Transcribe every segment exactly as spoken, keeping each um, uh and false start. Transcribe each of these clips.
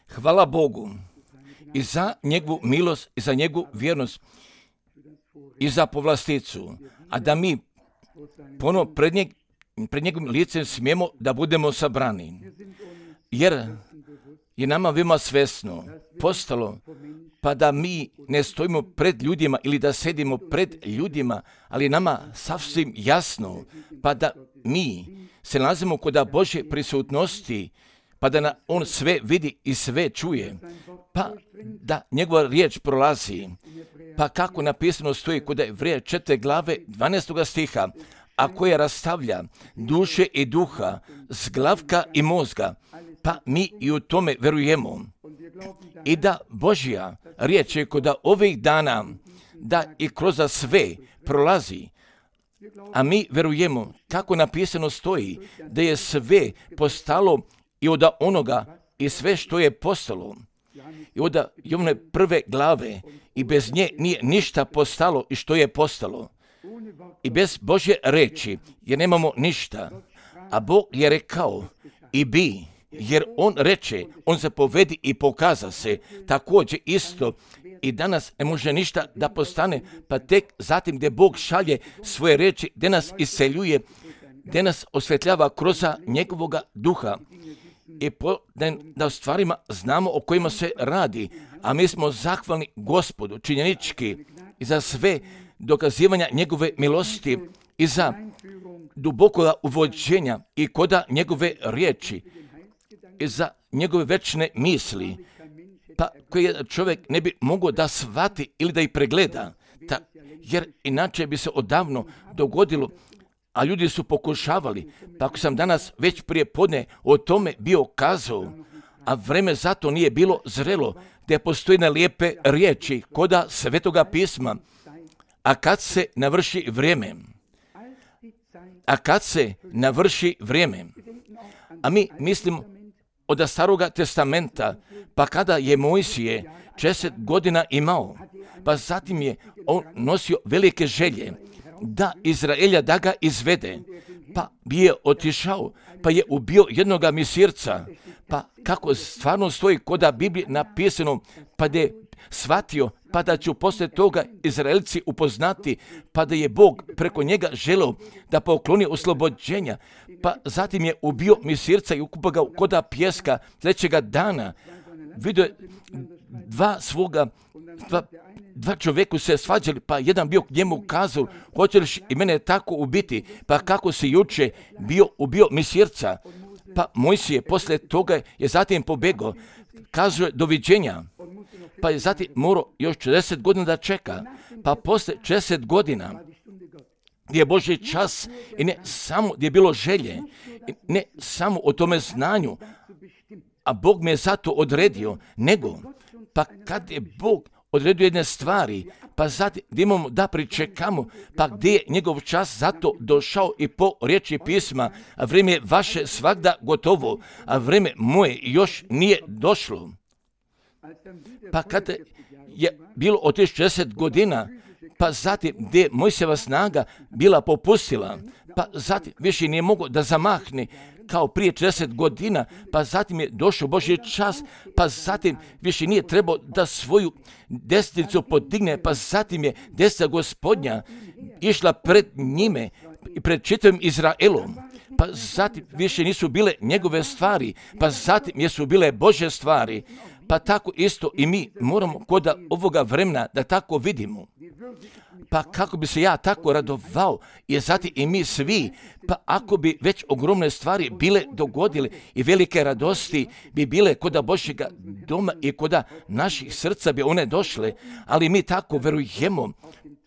Hvala Bogu i za njegovu milost i za njegovu vjernost i za povlasticu, a da mi ponovo pred, njeg, pred njegovim licem smijemo da budemo sabrani. Jer je nama veoma svesno postalo pa da mi ne stojimo pred ljudima ili da sedimo pred ljudima, ali nama sasvim jasno pa da mi se nalazimo kod Božje prisutnosti, pa da na on sve vidi i sve čuje, pa da njegova riječ prolazi, pa kako napisano stoji kod Evreja četvrte glave dvanaestoga stiha, a koja rastavlja duše i duha, zglavka i mozga, pa mi i u tome verujemo. I da Božja riječ je kod ovih dana, da i kroz sve prolazi, a mi verujemo kako napisano stoji, da je sve postalo i od onoga i sve što je postalo. I od Jovane prve glave i bez nje nije ništa postalo i što je postalo. I bez Božje reči jer nemamo ništa. A Bog je rekao i bi, jer on reče, on zapovedi i pokaza se. Također isto i danas ne može ništa da postane, pa tek zatim gdje Bog šalje svoje reči, gdje nas iseljuje, gdje nas osvetljava kroz njegovoga duha. I po, da, da u stvarima znamo o kojima se radi, a mi smo zahvalni Gospodu činjenički i za sve dokazivanja njegove milosti i za dubokoga uvođenja i koda njegove riječi i za njegove večne misli, pa koje čovjek ne bi mogao da shvati ili da ih pregleda, ta, jer inače bi se odavno dogodilo, a ljudi su pokušavali, pa ako sam danas već prije podne o tome bio kazao, a vreme zato nije bilo zrelo, gdje postoji na lijepe riječi koda Svetoga pisma, a kad se navrši vrijeme, a kad se navrši vrijeme, a mi mislimo od Staroga testamenta, pa kada je Mojsije česet godina imao, pa zatim je on nosio velike želje, da Izraelja da ga izvede, pa bi je otišao, pa je ubio jednoga misirca, pa kako stvarno stoji koda Biblije napisano, pa da je shvatio, pa da ću poslije toga Izraelci upoznati, pa da je Bog preko njega želeo da pokloni oslobođenja, pa zatim je ubio misirca i ukupao ga koda pjeska sljedećega dana. Vidio je dva svoga, dva, dva čovjeku se svađali, pa jedan bio k njemu kazao, hoćeš i mene tako ubiti, pa kako si juče bio ubio misirca, pa Mojsije poslije toga je zatim pobegao, kazuje doviđenja, pa je zatim morao još četrdeset godina da čeka, pa poslije četrdeset godina gdje je Božji čas i ne samo gdje je bilo želje, ne samo o tome znanju, a Bog me je zato odredio, nego pa kad je Bog odredio jedne stvari, pa zatim gdje imamo da pričekamo, pa gdje je njegov čas zato došao i po riječi pisma, a vrijeme je vaše svagda gotovo, a vrijeme moje još nije došlo. Pa kad je bilo od četrdeset godina, pa zatim gdje je Mojsijeva snaga bila popustila, pa zatim više nije mogao da zamahne kao prije četrdeset godina, pa zatim je došao Božji čas, pa zatim više nije trebao da svoju desnicu podigne, pa zatim je desnica Gospodnja išla pred njime i pred čitavim Izraelom, pa zatim više nisu bile njegove stvari, pa zatim jesu bile Božje stvari, pa tako isto i mi moramo kod ovoga vremena da tako vidimo. Pa kako bi se ja tako radovao, jer zatim i mi svi, pa ako bi već ogromne stvari bile dogodile i velike radosti bi bile kod Božjega doma i kod naših srca bi one došle, ali mi tako verujemo,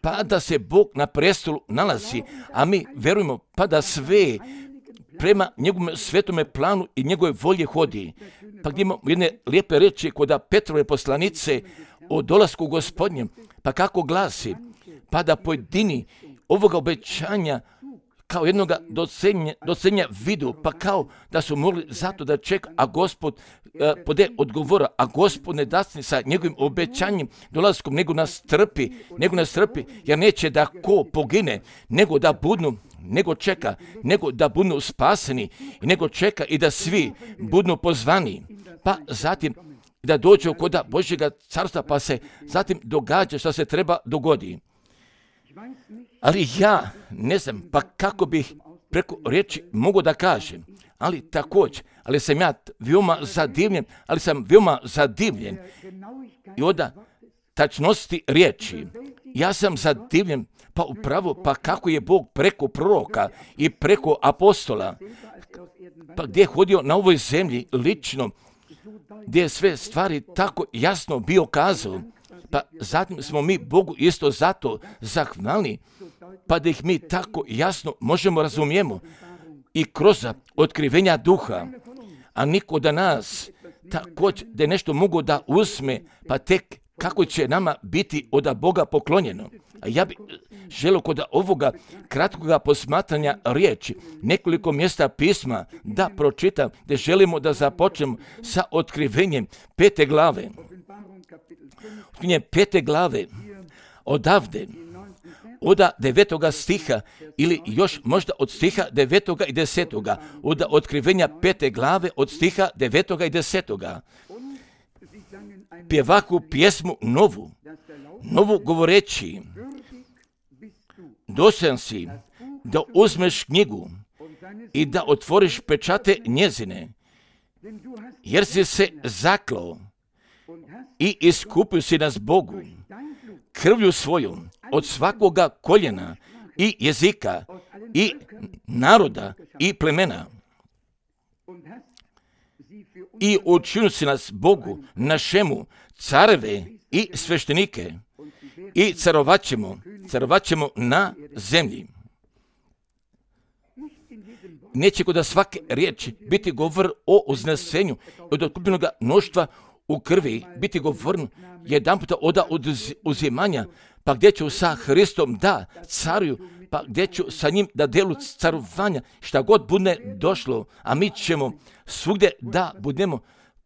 pa da se Bog na prestolu nalazi, a mi verujemo pa da sve prema njegovom svetome planu i njegove volje hodi. Pa gdje imamo jedne lijepe reči kod Petrove poslanice o dolasku Gospodnjem, pa kako glasi, pa da pojedini ovoga obećanja kao jednoga docenja, docenja vidu, pa kao da su mogli zato da čeka, a Gospod e, pode odgovora, a Gospod ne dasni sa njegovim obećanjem dolaskom, nego nas trpi, nego nas trpi, jer neće da ko pogine, nego da budnu, nego čeka, nego da budu spaseni, i nego čeka i da svi budu pozvani. pa zatim da dođu kod Božjega carstva, pa se zatim događa što se treba dogodi. Ali ja ne znam, pa kako bih preko riječi mogu da kažem, ali također, ali sam ja veoma zadivljen, ali sam veoma zadivljen i od tačnosti riječi. Ja sam zadivljen, pa upravo, pa kako je Bog preko proroka i preko apostola, pa gdje je hodio na ovoj zemlji lično, gdje je sve stvari tako jasno bio kazao, pa zatim smo mi Bogu isto zato zahvalni, pa da ih mi tako jasno možemo razumijemo i kroz otkrivenja duha, a niko da nas također da je nešto mogu da uzme, pa tek kako će nama biti od Boga poklonjeno. A ja bih želio kod ovoga kratkoga posmatranja riječi nekoliko mjesta pisma da pročitam, gdje želimo da započnemo sa otkrivenjem pete glave. Otkrivenjem pete glave odavde, od devetoga stiha ili još možda od stiha devetoga i desetoga, od otkrivenja pete glave od stiha devetoga i desetoga. Pjevaku pjesmu novu, novu govoreći, dostojan si da uzmeš knjigu i da otvoriš pečate njezine, jer si se zaklao i iskupio si nas Bogu krvlju svojom od svakoga koljena i jezika i naroda i plemena. I učinio si nas Bogu našemu careve i sveštenike i carovaćemo, carovaćemo na zemlji. Neće kod svake riječi biti govor o uznesenju od otkupljenog mnoštva u krvi, biti govorno jedan puta od uzimanja, pa gdje ću sa Hristom da caruju, pa gdje ću sa njim da delu carovanja, šta god bude došlo, a mi ćemo svugdje da budemo,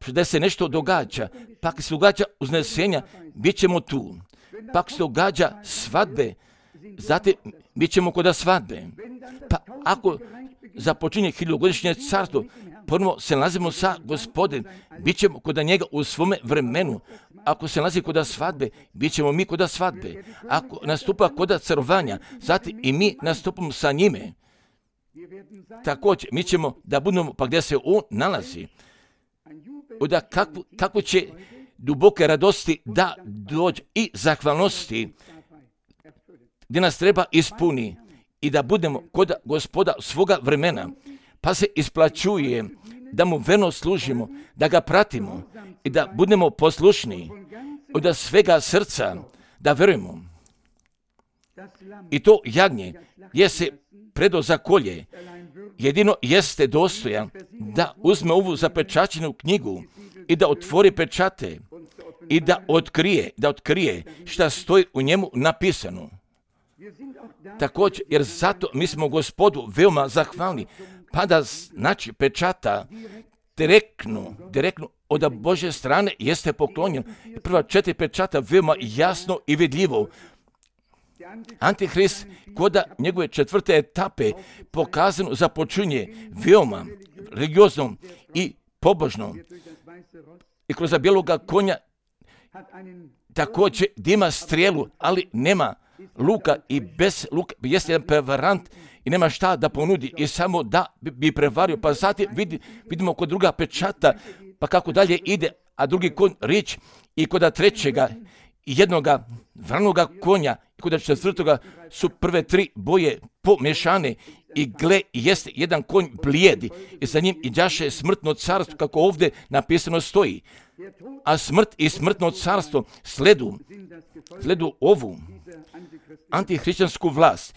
da se nešto događa, pa ako se događa uznesenja, bit ćemo tu, pa ako se događa svadbe, zatim bit ćemo kod svadbe, pa ako započinje hiljogodišnje carstvo, prvo se nalazimo sa Gospodin, bit ćemo kod njega u svome vremenu. Ako se nalazi kod svadbe, bit ćemo mi kod svadbe. Ako nastupa kod carovanja, zatim i mi nastupamo sa njime. Također, mi ćemo da budemo pa gdje se on nalazi. Onda kako, kako će duboke radosti da dođe i zahvalnosti gdje nas treba ispuni i da budemo kod Gospoda svoga vremena, pa se isplaćuje da mu verno služimo, da ga pratimo i da budemo poslušni od svega srca, da verujemo. I to jagnje je se predo za kolje, jedino jeste dostojan da uzme ovu zapečaćenu knjigu i da otvori pečate i da otkrije, da otkrije šta stoji u njemu napisano. Također, jer zato mi smo Gospodu veoma zahvalni, pa da znači pečata direktno, direktno od Božje strane jeste poklonjen. Prva četiri pečata veoma jasno i vidljivo. Antihrist kod njegove četvrte etape pokazano započinje veoma religioznom i pobožnom. I kroz bijeloga konja također ima strijelu, ali nema luka i bez luka jeste jedan prevarant i nema šta da ponudi i samo da bi prevario. Pa zatim vidi, vidimo kod druga pečata, pa kako dalje ide, a drugi konj rič i kod trećega jednoga vranoga konja i kod četvrtoga su prve tri boje pomješane i gle, jeste jedan konj blijedi i za njim iđaše smrtno carstvo, kako ovdje napisano stoji. A smrt i smrtno carstvo sledu, sledu ovu antihrišćansku vlast,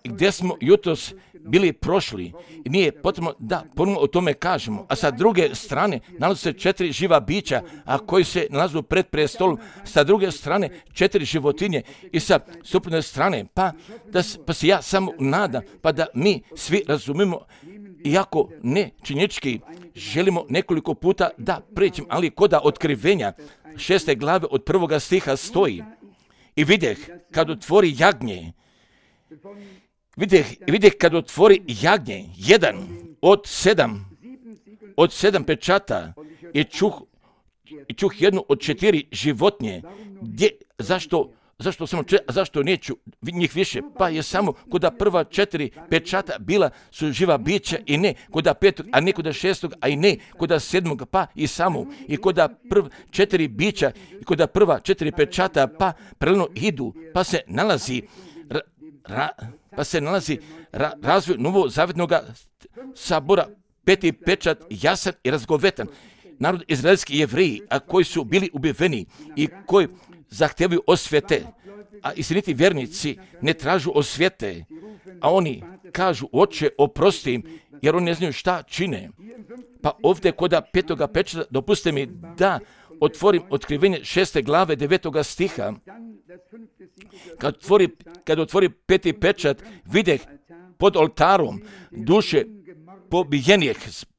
gdje smo jutros bili prošli i nije potrebno da ponovno o tome kažemo. A sa druge strane nalaze se četiri živa bića, a koji se nalazu pred prestolom, sa druge strane četiri životinje i sa suprotne strane, pa, da, pa se ja samo nadam, pa da mi svi razumimo, iako ne činjenički želimo nekoliko puta da pređemo, ali kod otkrivenja šeste glave od prvoga stiha stoji: i vidjeh kad otvori jagnje, vidjeh, vidjeh kad otvori jagnje, jedan od sedam, od sedam pečata, i čuh, i čuh jednu od četiri životinje. Gdje, zašto, zašto samo četiri, a zašto neću njih više? Pa je samo kod prva četiri pečata bila su živa bića i ne kod petog, a ne kod šestog, a i ne kod sedmog, pa i samo. I kod prva četiri bića i kod prva četiri pečata, pa paralelno idu, pa se nalazi ra, ra, pa se nalazi ra, razvoj novozavjetnog sabora, peti pečat jasan i razgovetan. Narod izraelski Jevreji, a koji su bili ubiveni i koji zahtevaju osvete, a istiniti vjernici ne tražu osvete, a oni kažu: Oče, oprosti im, jer oni ne znaju šta čine. Pa ovdje kod petoga pečata dopustite mi da otvorim otkrivenje šeste glave devetoga stiha. Kad otvori, kad otvori peti pečat, videh pod oltarom duše pobijenih,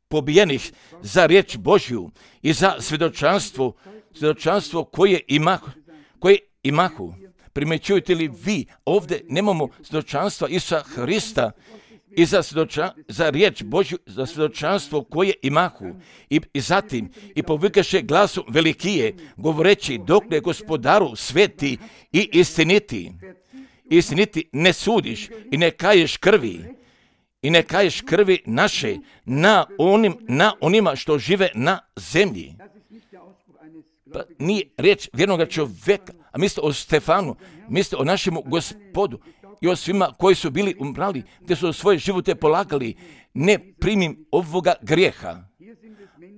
pobijenih za riječ Božju i za svjedočanstvo, svjedočanstvo koje imahu, koje imahu. Primjećujete li vi, ovdje nemamo svjedočanstva Isusa Hrista i za, svjedoča, za riječ Božju, za svjedočanstvo koje imahu. I, i zatim, i povikaše glasom velikije, govoreći: dokle Gospodaru sveti i istiniti. Istiniti ne sudiš i ne kaješ krvi. I ne kaješ krvi naše na, onim, na onima što žive na zemlji. Pa nije riječ vjernoga čovjeka, a mislite o Stefanu, mislite o našemu Gospodu i o svima koji su bili umrali, gdje su svoje živote polagali. Ne primim ovoga grijeha.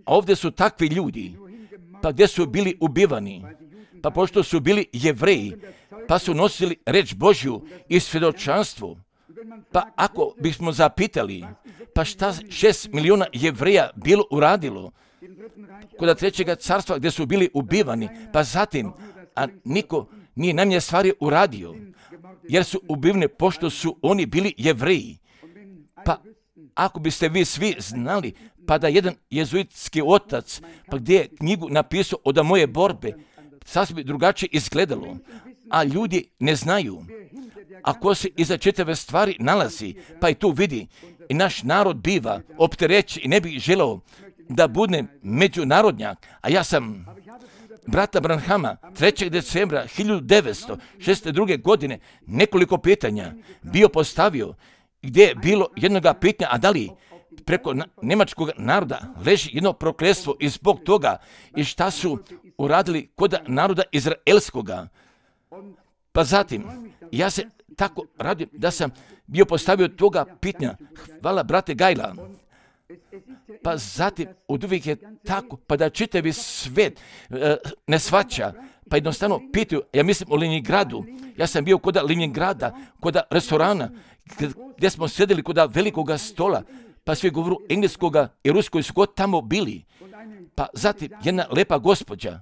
A ovdje su takvi ljudi, pa gdje su bili ubivani, pa pošto su bili Jevreji, pa su nosili riječ Božju i svjedočanstvo. Pa ako bismo zapitali, pa šta šest milijuna Jevreja bilo uradilo kod trećega carstva gdje su bili ubivani, pa zatim, a niko nije najmanje stvari uradio, jer su ubivni pošto su oni bili Jevreji. Pa ako biste vi svi znali, pa da jedan jezuitski otac, pa gdje je knjigu napisao od moje borbe, sasvim bi drugačije izgledalo, a ljudi ne znaju. Ako se iza čitave stvari nalazi, pa i tu vidi, i naš narod biva opterećen i ne bi želeo da budem međunarodnjak, a ja sam brata Branhama trećeg decembra hiljadu devetsto šezdeset druge. godine nekoliko pitanja bio postavio, gdje je bilo jednoga pitanja, a da li preko na, njemačkog naroda leži jedno prokletstvo i zbog toga i šta su uradili kod naroda izraelskoga. Pa zatim, ja se tako radim da sam bio postavio toga pitanja. Hvala, brate Gajla. Pa zatim, od uvijek je tako, pa da čitavi svet e, ne shvaća, pa jednostavno pitaju, ja mislim o Leningradu. Ja sam bio kod Leningrada, kod restorana, gdje smo sjedili kod velikoga stola, pa svi govoru engleskoga i ruskoj su god tamo bili. Pa zatim, jedna lepa gospođa,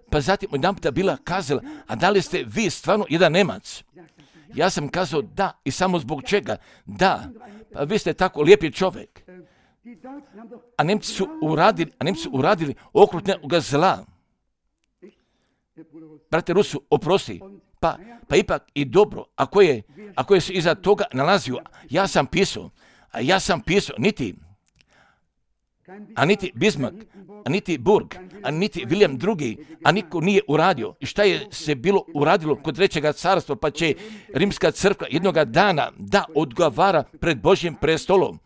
pa zatim jedan puta bila kazala: a da li ste vi stvarno jedan Nemac? Ja sam kazao da, i samo zbog čega? Da, pa vi ste tako lijepi čovjek. A Nemci su uradili, a Nemci su uradili okrutnoga zla. Brate Rusu, oprosti, pa, pa ipak i dobro, ako je, ako je se iza toga nalazio, ja sam pisao, a ja sam pisao, niti, a niti Bismarck, a niti Burg, a niti William drugi, a niko nije uradio. I šta je se bilo uradilo kod trećega carstva, pa će rimska crkva jednoga dana da odgovara pred Božjim prestolom.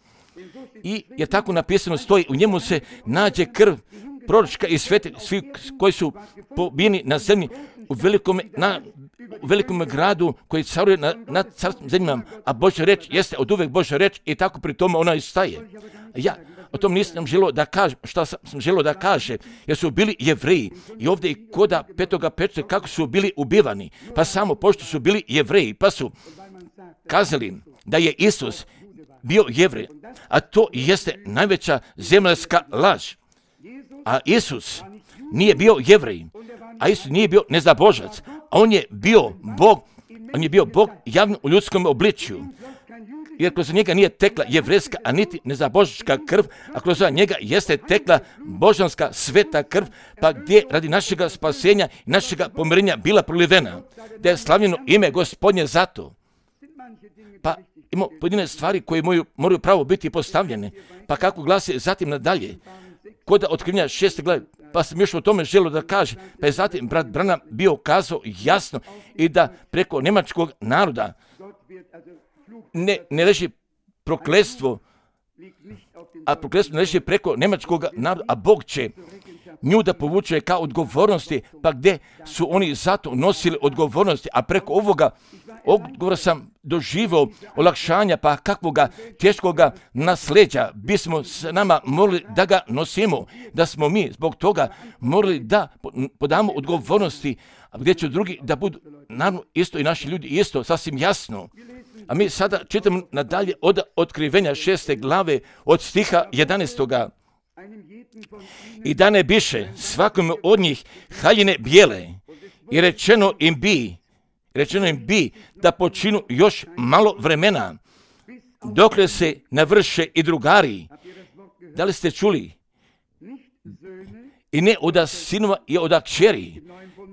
I je tako napisano stoji, u njemu se nađe krv proročka i sveti, svi koji su pobijeni na zemlji u velikom, na, u velikom gradu koji caruje na, na carskim zemljama, a Božja reč jeste od uvek Božja reč i tako pri tome ona istaje. Ja o tom nisam želio da kažem, šta sam želio da kaže, jer su bili Jevreji i ovdje i koda petoga pečata kako su bili ubivani, pa samo pošto su bili Jevreji, pa su kazali da je Isus bio Jevrej, a to jeste najveća zemaljska laž. A Isus nije bio Jevrej, a Isus nije bio nezabožac, a on je bio Bog, on je bio Bog javno u ljudskom obličju. Jer kroz njega nije tekla jevrejska, a niti nezabožačka krv, a kroz njega jeste tekla božanska sveta krv, pa gdje radi našega spasenja i našega pomirenja bila prolivena, da je slavljeno ime Gospodnje zato. Pa ima pojedine stvari koje moraju, moraju pravo biti postavljene, pa kako glasi zatim nadalje, kod otkrivenja šeste glave, pa sam još o tome želio da kaže, pa je zatim brat Branham bio kazao jasno i da preko njemačkog naroda ne, ne leži prokletstvo, a prokletstvo ne leži preko njemačkog naroda, a Bog će nju da povuče kao odgovornosti, pa gdje su oni zato nosili odgovornosti, a preko ovoga odgovora sam doživio olakšanja, pa kakvoga teškoga nasleđa bismo s nama morali da ga nosimo, da smo mi zbog toga morali da podamo odgovornosti, a gdje će drugi da budu, naravno isto i naši ljudi isto, sasvim jasno. A mi sada čitamo nadalje od otkrivenja šeste glave od stiha jedanaestoga. I da ne biše svakome od njih haljine bijele i rečeno im bi, rečeno im bi da počinu još malo vremena, dokle se navrše i drugari. Da li ste čuli? I ne od sinova i od kćeri,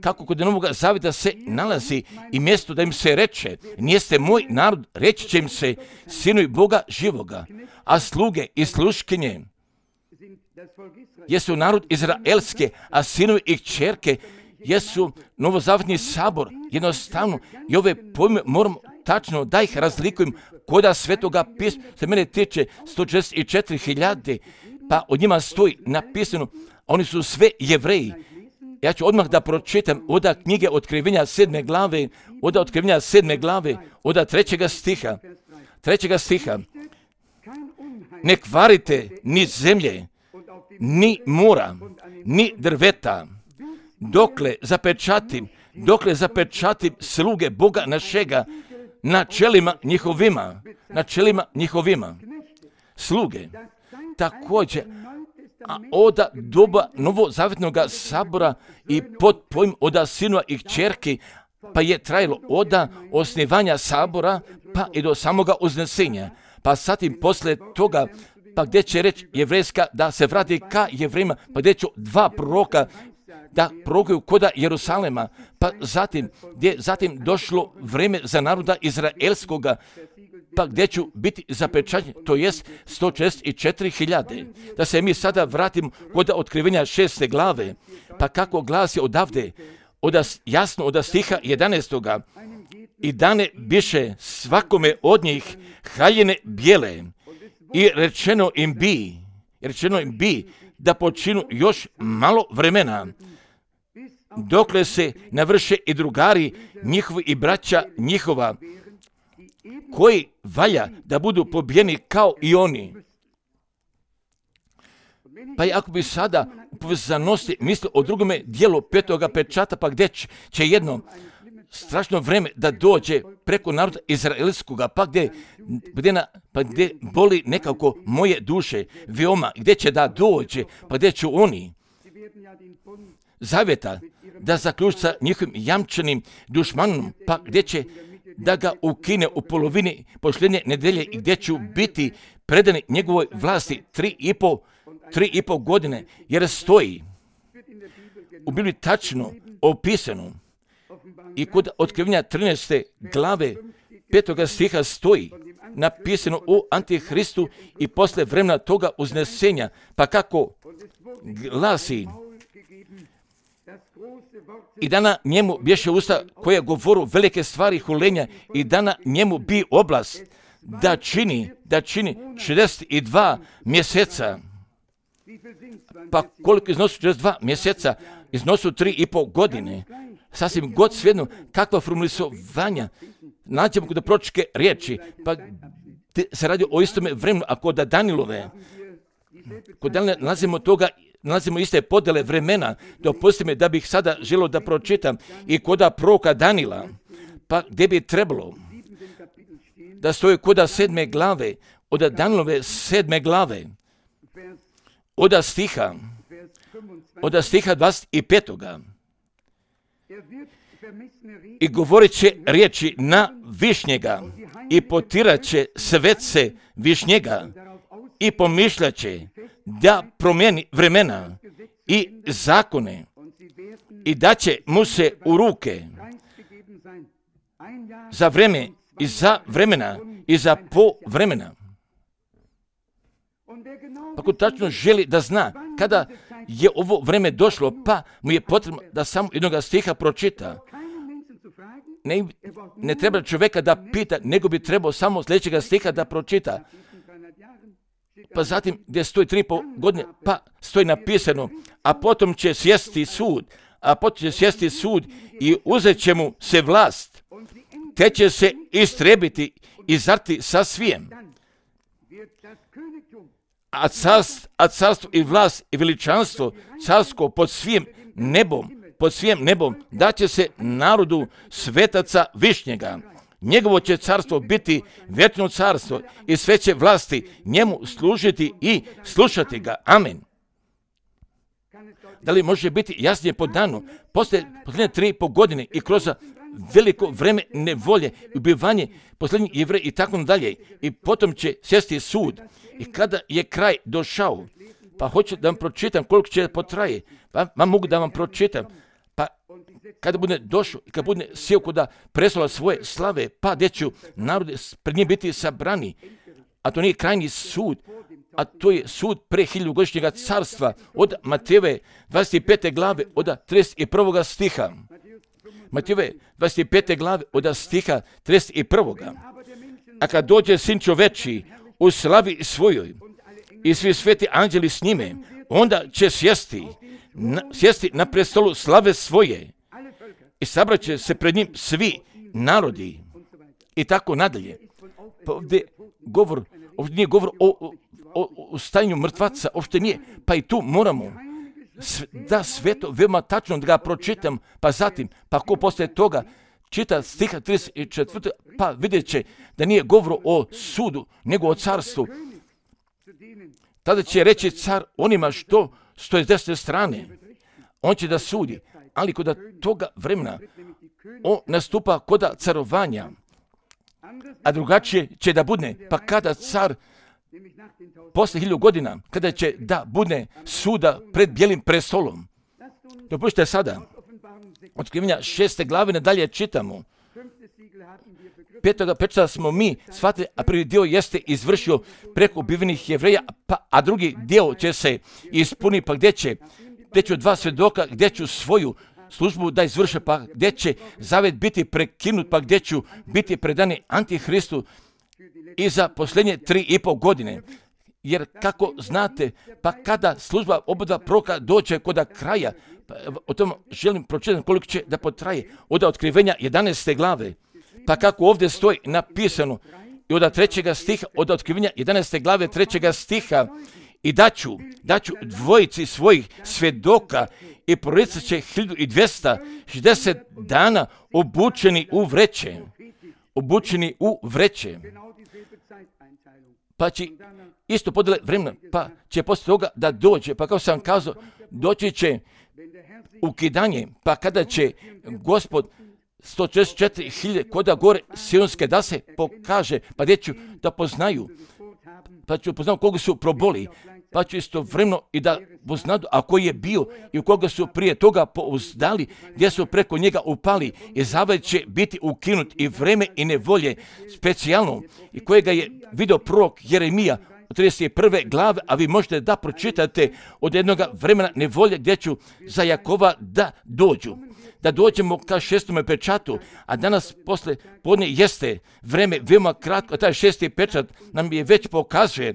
kako kod Novog zavjeta se nalazi i mjesto da im se reče, nijeste moj narod, reći će im se sinovi Boga živoga, a sluge i sluškinje jesu narod izraelske, a sinovi i kćerke jesu novozavjetni sabor. Jednostavno, i ove pojme moram tačno da ih razlikujem koda svetoga pisma. Se mene tiče sto četrdeset četiri hiljade, pa od njima stoji napisano, oni su sve Jevreji. Ja ću odmah da pročitam od knjige Otkrivenja sedme glave, od Otkrivenja sedme glave, od trećega stiha. Trećega stiha. Ne kvarite ni zemlje, ni mora, ni drveta, dokle zapečatim, dokle zapečatim sluge Boga našega na čelima njihovima, na čelima njihovima. Sluge. Također, a od doba novozavjetnog sabora i pod pojmom od sinova i kćerki, pa je trajalo od osnivanja sabora pa i do samoga uznesenja. Pa zatim posle toga, pa gdje će reći jevrejska da se vrati ka Jevrejima, pa gdje će dva proroka da prorokuju koda Jerusalema, pa zatim gdje zatim došlo vrijeme za naroda izraelskoga, pa gdje ću biti zapečaćen, to jest sto četrdeset četiri hiljade. Da se mi sada vratimo kod otkrivenja šeste glave, pa kako glasi odavde, od, jasno od stiha jedanaestoga. I dane biše svakome od njih haljine bijele i rečeno im bi, rečeno im bi da počinu još malo vremena, dokle se navrše i drugari njihovi i braća njihova, koji valja da budu pobijeni kao i oni. Pa ako bi sada u povezanosti mislio o drugome dijelu petoga pečata, pa gdje će jedno strašno vreme da dođe preko naroda izraelskoga, pa gdje, gdje, na, pa gdje boli nekako moje duše veoma, gdje će da dođe, pa gdje će oni zavjeta da zaključi sa njihovim jamčanim dušmanom, pa gdje će da ga ukine u polovini posljednje nedelje i gdje će biti predani njegovoj vlasti tri i po, tri i po godine, jer stoji u Bibliji tačno opisano i kod otkrivenja trinaeste glave petoga stiha stoji napisano o Antihristu i posle vremena toga uznesenja, pa kako glasi: i dana njemu bješe usta koje govoru velike stvari hulenja i dana njemu bi oblast da čini, da čini šezdeset dva mjeseca. Pa koliko iznosu šezdeset dva mjeseca? Iznosu tri i po godine. Sasvim god svejedno kakva formulisovanja nađemo kod proročke riječi, pa se radi o istome vremenu, a kod Danilove, kod Danila nalazimo toga, nalazimo iste podele vremena. Dopustite mi da bih sada želio da pročitam i koda proroka Danila, pa gdje bi trebalo da stoji koda sedme glave, od Danilove sedme glave, od stiha, od stiha dvadeset petoga. I govorit će riječi na višnjega i potirat će svece višnjega i pomišljat će da promijeni vremena i zakone i da će mu se u ruke za vreme i za vremena i za po vremena. Pa ko tačno želi da zna kada je ovo vreme došlo, pa mu je potrebno da samo jednoga stiha pročita. Ne, ne treba čovjeka da pita, nego bi trebao samo sljedećega stiha da pročita. Pa zatim gdje stoji tri i pol godine, pa stoji napisano, a potom će sjesti sud, a potom će sjesti sud i uzet će mu se vlast, te će se istrebiti i zarti sa svijem. A carstvo, a carstvo i vlast i veličanstvo carsko pod svim nebom, pod svim nebom daće se narodu svetaca Višnjega. Njegovo će carstvo biti vječno carstvo i sve će vlasti njemu služiti i slušati ga. Amen. Da li može biti jasnije po danu? Poslije posljednje tri i pol godine i kroz veliko vreme nevolje, ubivanje posljednjih Jevreja i tako dalje. I potom će sjesti sud. I kada je kraj došao, pa hoću da vam pročitam koliko će potraje, pa vam mogu da vam pročitam. Pa kada bude došao i kada bude sjeo kuda prestola svoje slave, pa gdje ću narode pred njim biti sabrani. A to nije krajnji sud, a to je sud pre hiljadugodišnjega carstva od Matejeve dvadeset pete glave od trideset prvog stiha. Matejeve dvadeset pete glave od stiha trideset prvog. A kad dođe Sin čoveči u slavi svojoj i svi sveti anđeli s njime, onda će sjesti na, sjesti na prestolu slave svoje i sabrat će se pred njim svi narodi i tako nadalje. Pa ovdje govor, ovdje nije govor o, o, o stanju mrtvaca, uopšte nije, pa i tu moramo da sveto veoma tačno da ga pročitam, pa zatim, pa ko poslije toga čita stiha trideset četvrti pa vidjet će da nije govor o sudu, nego o carstvu. Tada će reći car onima što stoje s desne strane. On će da sudi, ali kod toga vremena on nastupa kod carovanja, a drugačije će da bude, pa kada car posle hiljadu godina, kada će da bude suda pred bijelim prestolom. Dopustite sada, Otkrivenja šeste glave nadalje čitamo. Petoga pečata smo mi shvatili, a prvi dio jeste izvršio preko ubivenih Jevreja, pa, a drugi dio će se ispuniti, pa gdje će, gdje ću dva svjedoka, gdje ću svoju službu da izvrše, pa gdje će zavet biti prekinut, pa gdje ću biti predani Antihristu i za posljednje tri i pol godine. Jer kako znate, pa kada služba obodva proroka dođe kod kraja, pa o tom želim pročitati koliko će da potraje, od Otkrivenja jedanaeste glave, pa kako ovdje stoji napisano i od trećega stiha, od Otkrivenja jedanaeste glave trećega stiha, i daću, daću dvojici svojih svjedoka i proricat će hiljadu dvjesto šezdeset dana obučeni u vreće, obučeni u vreće. Pa će isto podele vremena, pa će poslije toga da dođe, pa kao sam kazao, doći će ukidanje, pa kada će Gospod sto četrdeset četiri hiljade koda gore sionske da se pokaže, pa gdje ću da poznaju, pa ću poznati koga su proboli, pa ću isto vremeno i da poznadu, a koji je bio i u koga su prije toga pouzdali, gdje su preko njega upali, i zavet će biti ukinut i vreme i nevolje specijalno, i kojega je vidio prorok Jeremija u trideset prve glave, a vi možete da pročitate od jednog vremena nevolje gdje ću za Jakova da dođu. Da dođemo ka šestome pečatu, a danas posle podne jeste vreme veoma kratko, a taj šesti pečat nam je već pokazuje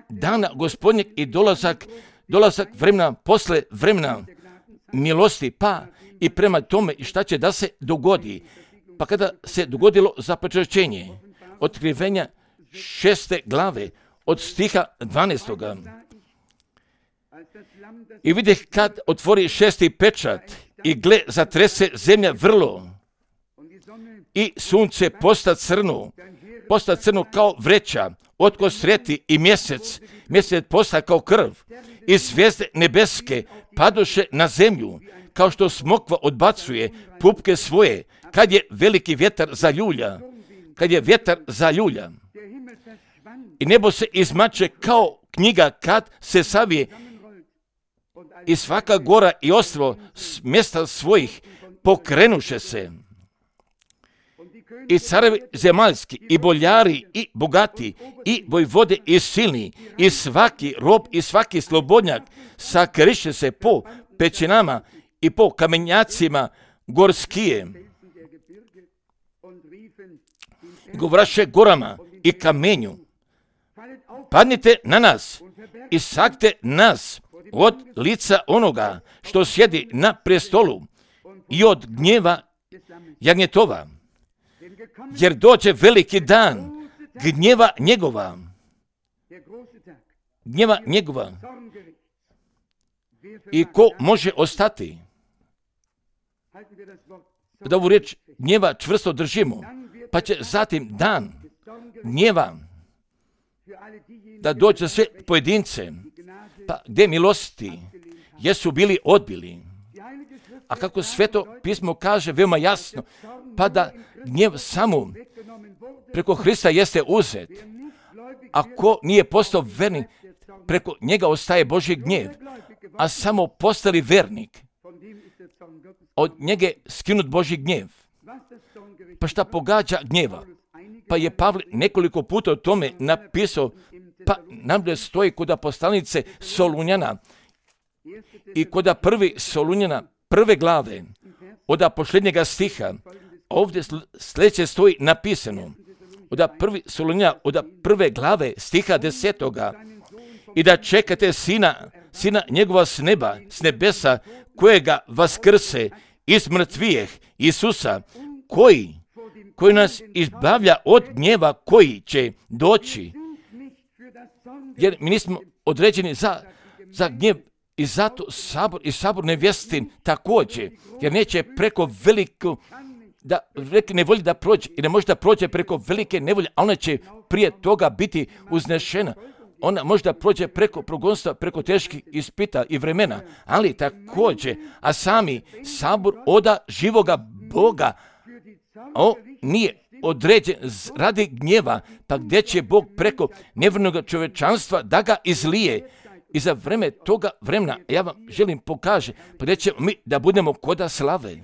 dana Gospodnjeg i dolazak, dolazak vremena posle vremena milosti, pa i prema tome šta će da se dogodi. Pa kada se dogodilo zapečaćenje, Otkrivenja šeste glave od stiha dvanaestoga. I vidjeh kad otvori šesti pečat i gle, zatrese zemlja vrlo i sunce posta crno, posta crno kao vreća, otko sreti i mjesec, mjesec posta kao krv i zvijezde nebeske padoše na zemlju, kao što smokva odbacuje pupke svoje, kad je veliki vjetar zaljulja, kad je vjetar zaljulja. I nebo se izmače kao knjiga kad se savije, i svaka gora i ostrvo s mjesta svojih pokrenuše se. i carevi zemaljski, i boljari, i bogati, i vojvode, i silni, i svaki rob, i svaki slobodnjak sakriše se po pećinama i po kamenjacima gorskije. Govraše gorama i kamenju, padnite na nas i sakte nas od lica onoga što sjedi na prestolu i od gnjeva jagnjetova, jer dođe veliki dan gnjeva njegova, gnjeva njegova. I ko može ostati? Da ovu riječ gnjeva čvrsto držimo, pa će zatim dan gnjeva da dođe sve pojedince, pa gdje milosti jesu bili odbili. A kako Sveto pismo kaže veoma jasno, pa da gnjev samo preko Hrista jeste uzet. Ako nije postao vernik, preko njega ostaje Božji gnjev, a samo postali vernik, od njega skinut Božji gnjev. Pa šta pogađa gnjeva? Pa je Pavle nekoliko puta o tome napisao, pa nam da stoji kod poslanice Solunjana i kod prvi Solunjana prve glave, od posljednjega stiha, ovdje sljedeće stoji napisano, od prvi Solunjana, od prve glave stiha desetoga, i da čekate sina, sina njegova s neba, s nebesa, kojega vaskrse iz mrtvijeh, Isusa, koji, koji nas izbavlja od gnjeva koji će doći. Jer mi nismo određeni za, za gnjev i zato sabor i sabor nevjestin također, jer neće preko veliku da velike nevolje da prođe i ne može da prođe preko velike nevolje, a ona će prije toga biti uznešena. Ona može da prođe preko progonstva, preko teških ispita i vremena, ali također, a sami sabor oda živoga Boga, on nije određen radi gnjeva, pa gdje će Bog preko nevjernog čovječanstva da ga izlije. I za vreme toga vremena, ja vam želim pokaže, pa gdje ćemo mi da budemo koda slave.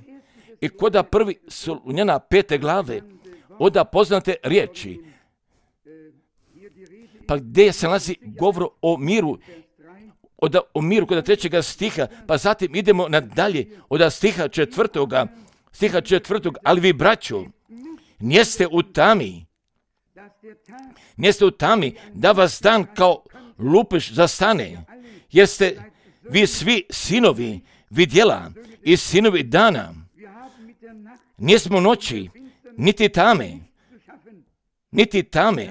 I koda prvi Solunjana pete glave, oda poznate riječi, pa gdje se nalazi govor o miru, od, o miru kod trećega stiha, pa zatim idemo nadalje od stiha četvrtoga, stiha četvrtog, ali vi braćo, nijeste u tami, nijeste u tami da vas dan kao lupiš zastane, jeste vi svi sinovi vidjela i sinovi dana, nismo noći, niti tame, niti tame,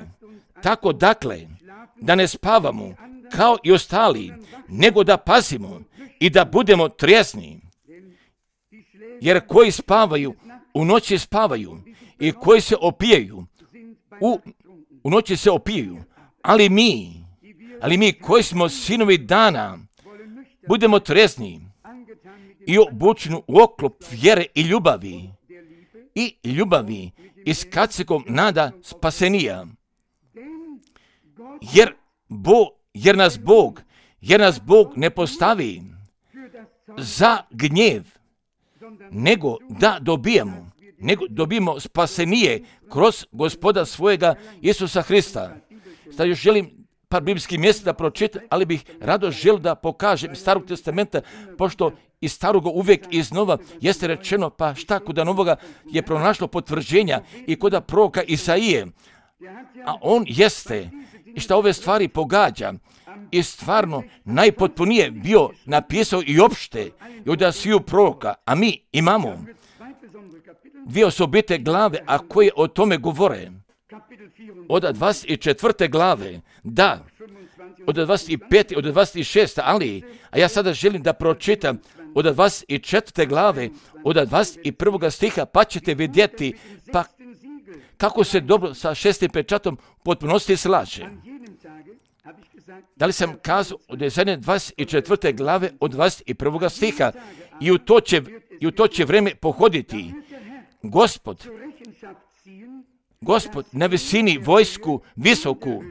tako dakle, da ne spavamo kao i ostali, nego da pazimo i da budemo trijezni. Jer koji spavaju, u noći spavaju i koji se opijaju, u, u noći se opijaju. Ali mi, ali mi koji smo sinovi dana, budemo trijezni i obučeni u oklop vjere i ljubavi, i ljubavi i s kacikom nada spasenija. Jer, Bo, jer nas Bog, jer nas Bog ne postavi za gnjev, nego da dobijemo, nego dobijemo spasenije kroz Gospoda svojega Isusa Hrista. Sad još želim par biblijskih mjesta da pročitam, ali bih rado želio da pokažem Starog testamenta, pošto iz Staroga uvijek iznova jeste rečeno, pa šta kod Novoga je pronašlo potvrđenja i kod proroka Isaije, a on jeste i šta ove stvari pogađa i stvarno najpotpunije bio napisao i opšte i od sviju proroka, a mi imamo dvije osobite glave, a koje o tome govore. Od dvadeset četvrte glave, da, od dvadeset pete, od dvadeset šeste, ali, a ja sada želim da pročitam od dvadeset četvrte glave, od dvadeset prvog stiha, pa ćete vidjeti pa kako se dobro sa šestim pečatom potpunosti slaže. Da li sam kazao od dvadeset četvrte glave od dvadeset prvog stiha i u to će, i u to će vreme pohoditi Gospod, Gospod na visini vojsku visoku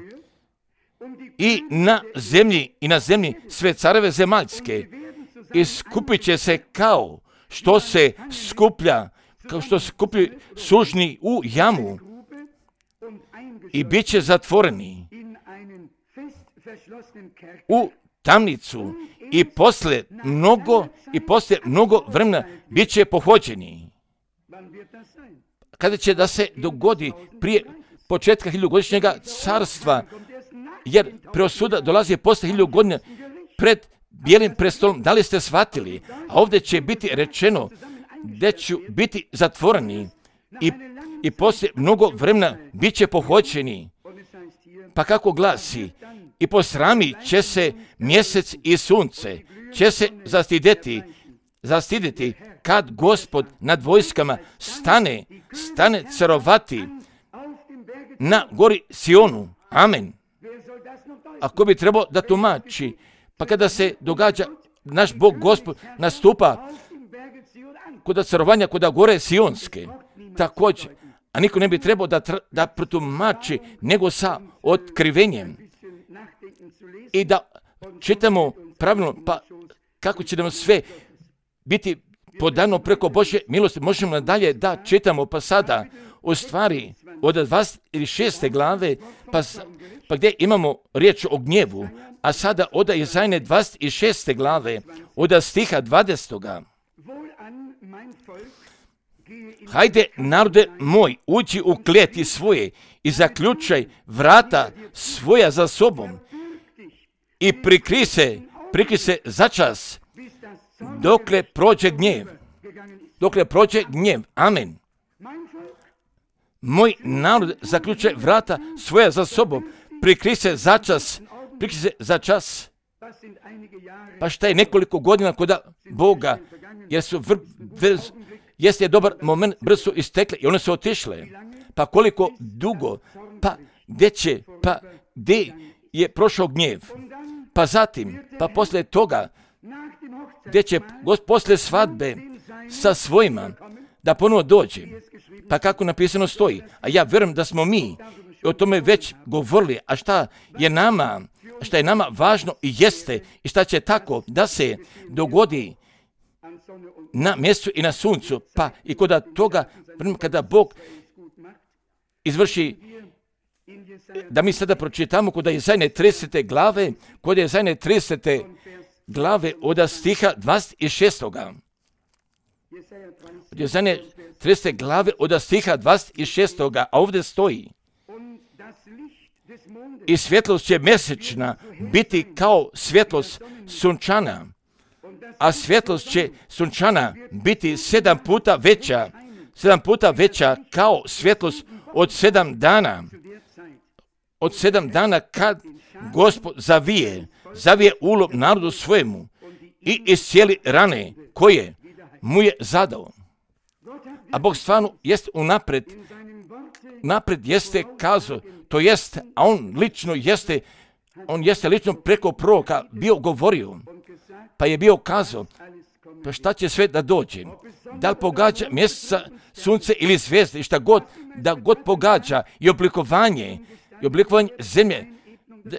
i na zemlji i na zemlji sve careve zemaljske i skupit će se kao što se skuplja kao što skupi sužni u jamu i bit će zatvoreni u tamnicu i posle mnogo i posle mnogo vremena bit će pohođeni. Kada će da se dogodi prije početka hiljadugodišnjega carstva, jer preosuda dolazi posle hiljadu godina pred bijelim prestolom. Da li ste shvatili? A ovdje će biti rečeno da će biti zatvoreni i, i poslije mnogo vremena bit će pohođeni. Pa kako glasi? I posrami će se mjesec i sunce, će se zastideti, zastideti kad Gospod nad vojskama stane, stane carovati na gori Sionu. Amen. Ako bi trebao da tumači, pa kada se događa naš Bog Gospod nastupa kod carovanja kod gore Sionske, također, a niko ne bi trebao da, da protumači nego sa otkrivenjem i da čitamo pravilno, pa kako će nam sve biti podano preko Božje milosti. Možemo nadalje da čitamo, pa sada u stvari od dvadeset šeste glave, pa, pa gdje imamo riječ o gnjevu, a sada od Izajne dvadeset šeste glave, od stiha dvadesetoga. Hajde, narode moj, uđi u kleti svoje i zaključaj vrata svoja za sobom i prikri se, prikri se začas dokle prođe gnjev. Dokle prođe gnjev. Amen. Moj narod zaključaj vrata svoja za sobom, prikri se začas, prikri se začas. Pa šta je nekoliko godina kod Boga, jer su vr, vr, jeste dobar moment, brzo su istekle i one su otišle. Pa koliko dugo, pa gdje će, pa gdje je prošao gnjev. Pa zatim, pa poslije toga, gdje će poslije svadbe sa svojima da ponovo dođe. Pa kako napisano stoji, a ja vjerujem da smo mi o tome već govorili, a šta je nama, šta je nama važno i jeste i šta će tako da se dogodi na mjestu i na suncu, pa i kod toga kada Bog izvrši, da mi sada pročitamo kod Izajne tridesete glave, kod Izajne tridesete glave od stiha dvadeset šestoga. Od Izajne tridesete glave od stiha dvadeset šestoga, a ovdje stoji: i svjetlost će mjesečna biti kao svjetlost sunčana, a svjetlost će sunčana biti sedam puta veća, sedam puta veća kao svjetlost od sedam dana. Od sedam dana kad Gospod zavije, zavije ulov narodu svojemu i iscijeli rane koje mu je zadao. A Bog stvarno jest unapred, napred jeste kazao, to jest, a on lično jeste, on jeste lično preko proroka bio govorio, pa je bio kazao, pa šta će sve da dođe, da li pogađa mjeseca, sunce ili zvijezde, i šta god, da god pogađa i oblikovanje, i oblikovanje zemlje, da,